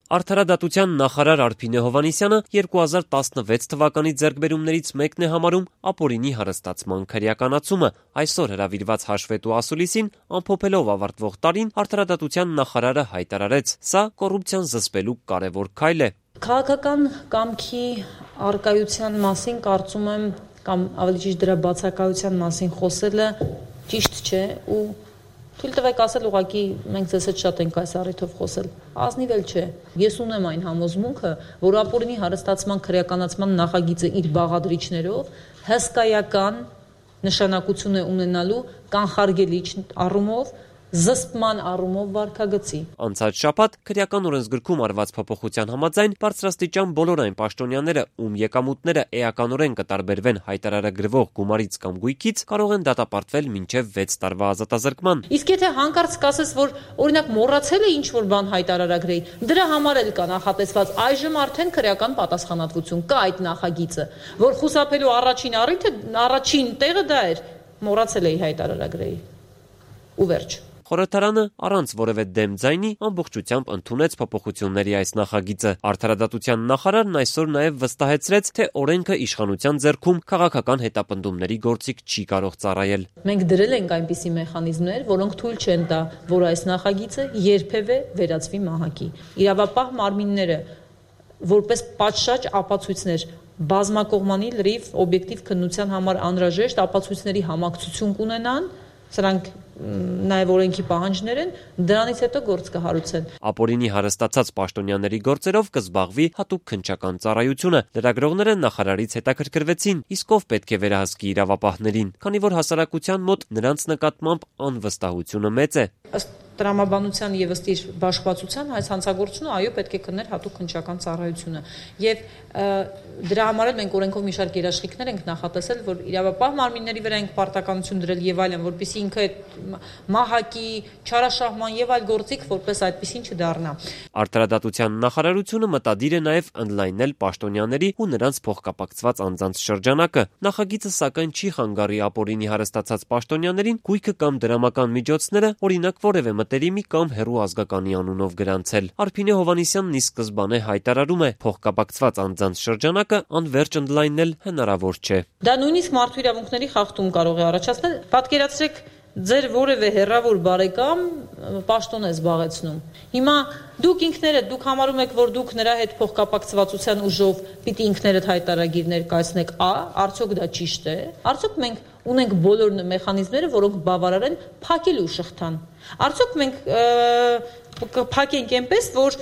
Արդարադատության նախարար Արփինե Հովհաննիսյանը 2016 թվականի ձեռքբերումներից մեկն է համարում ապօրինի հարստացման քրեականացումը։ Այսօր հրավիրված հաշվետու ասուլիսին ամփոփելով ավարտվող տարին արդարադատության նախարարը հայտարարեց. «Սա կոռուպցիան զսպելու կարևոր քայլ է»։ Քաղաքական կամքի առկայության մասին կարծում եմ, կամ ավելի ճիշտ դրա բացակայության մասին խոսելը ճիշտ չէ ու թույլ տվեք ասել, ուղղակի մենք ձեզ հետ շատ ենք այս առիթով խոսել, ազնիվ էլ չէ։ Ես ունեմ այն համոզմունքը, որ ապօրինի հարստացման քրեականացման նախագիծը իր բաղադրիչներով հսկայական նշանակություն է ունենալու կանխարգելիչ առումով, զսպման առումով վարքագծի։ Անցած շաբաթ քրեական օրենսգրքում արված փոփոխության համաձայն բարձրաստիճան բոլոր այն պաշտոնյաները, ում եկամուտները էականորեն կտարբերվեն հայտարարագրվող գումարից կամ գույքից, կարող են դատապարտվել մինչև 6 տարվա ազատազրկման։ Իսկ եթե հանկարծ կասես, որ օրինակ մոռացել է ինչ-որ բան հայտարարագրեի, դրա համար էլ կա նախատեսված այժմ արդեն քրեական պատասխանատվություն, կա այդ նախագիծը, որ խուսափելու առաջին տեղը դա էր, մոռացել էի հայտարարագրեի։ Ու վերջ։ Խորհրդարանը առանց որևէ դեմ ձայնի ամբողջությամբ ընդունեց փոփոխությունների այս նախագիծը։ Արդարադատության նախարարն այսօր նաև վստահեցրեց, թե օրենքը իշխանության ձեռքում քաղաքական հետապնդումների գործիք չի կարող ծառայել։ Մենք դրել ենք այնպիսի մեխանիզմներ, որոնք թույլ չեն տա, որ այս նախագիծը երբևէ վերածվի մահակի։ Իրավապահ մարմինները որպես պատշաճ ապացույցներ բազմակողմանի լրիվ օբյեկտիվ քննության համար անհրաժեշտ ապացույցների համակցություն կունենան, սրանք նաև օրենքի պահանջներ են, դրանից հետո գործ կհարուցեն։ Ապօրինի հարստացած պաշտոնյաների գործերով կզբաղվի հատուկ քննչական ծառայությունը։ Լրագրողները նախարարից հետաքրքրվեցին, իսկ ով պետք է վերահսկի իրավապահներին, քանի որ հասարակության մոտ նրանց նկատմամբ անվստահությունը մեծ է։ Ըստ տրամաբանության եւ ըստ իր բաշխվածության այս հանցագործությունը այո պետք է քններ հատուկ քննչական ծառայությունը եւ դրա համար էլ մենք օրենքով մի շարք երաշխիքներ ենք նախատեսել, որ իրավապահ մարմինների վրա ենք պարտականություն դրել եւ այլն, որպեսզի ինքը մահակի, չարաշահման եւ այլ գործիք որպես այդպեսին չդառնա։ Արդարադատության նախարարությունը մտադիր է նաեւ ընդլայնել պաշտոնյաների ու նրանց փոխկապակցված անձանց շրջանակը։ Նախագիծը սակայն չի խանգարի ապօրինի հարստացած պաշտոնյաներին գույքը կամ դրամական միջոցները, օրինակ որևէ մտերիմի կամ հեռու ազգականի անունով գրանցել։ Արփինե Հովհաննիսյանն ի սկզբանե հայտարարում է, փոխկապակցված անձանց շրջանակը անվերջ ընդլայնել հնարավոր չէ։ Դա նույնիսկ մարդու իրավունքների խախտում կարող է առաջացնել։ Պատկերացրեք, ձեր որևէ հեռավոր բարեկամ պաշտոն է զբաղեցնում։ Հիմա դուք համարում եք, որ դուք նրա հետ փոխկապակցվածության ուժով պիտի ինքներդ հայտարարագիր ներկայացնեք, արդյոք դա ճիշտ է։ Արդյոք մենք ունենք բոլոր մեխանիզմները, որոնք բավարար են փակելու շղթան։ Արդյոք մենք կփակենք այնպես, որ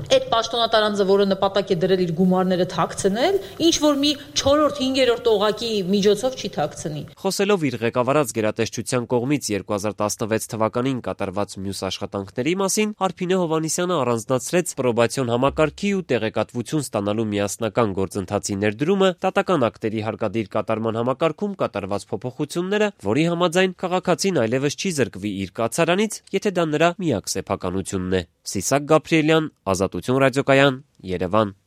այդ պաշտոնատարանձը, որը նպատակ է դրել իր գումարները թաքցնել, ինչ որ մի 4-րդ, 5-րդ օղակի միջոցով չի թաքցնի։ Խոսելով իր ղեկավարած գերատեսչության կողմից 2016 թվականին կատարված մյուս աշխատանքների մասին, Արփինե Հովհաննիսյանը առանձնացրեց պրոբացիոն համակարգի ու տեղեկատվություն ստանալու միասնական գործընթացի ներդրումը, դատական ակտերի հարկադիր կատարման համակարգում կատարված փոփոխությունները, որի համաձայն քաղաքացին այլևս չի զրկվի իր կացարանից, եթե դա նրա միակ սեփականությունն է։ Սիսակ Գաբրիելյան, Ազատություն ռադիոկայան, Երևան։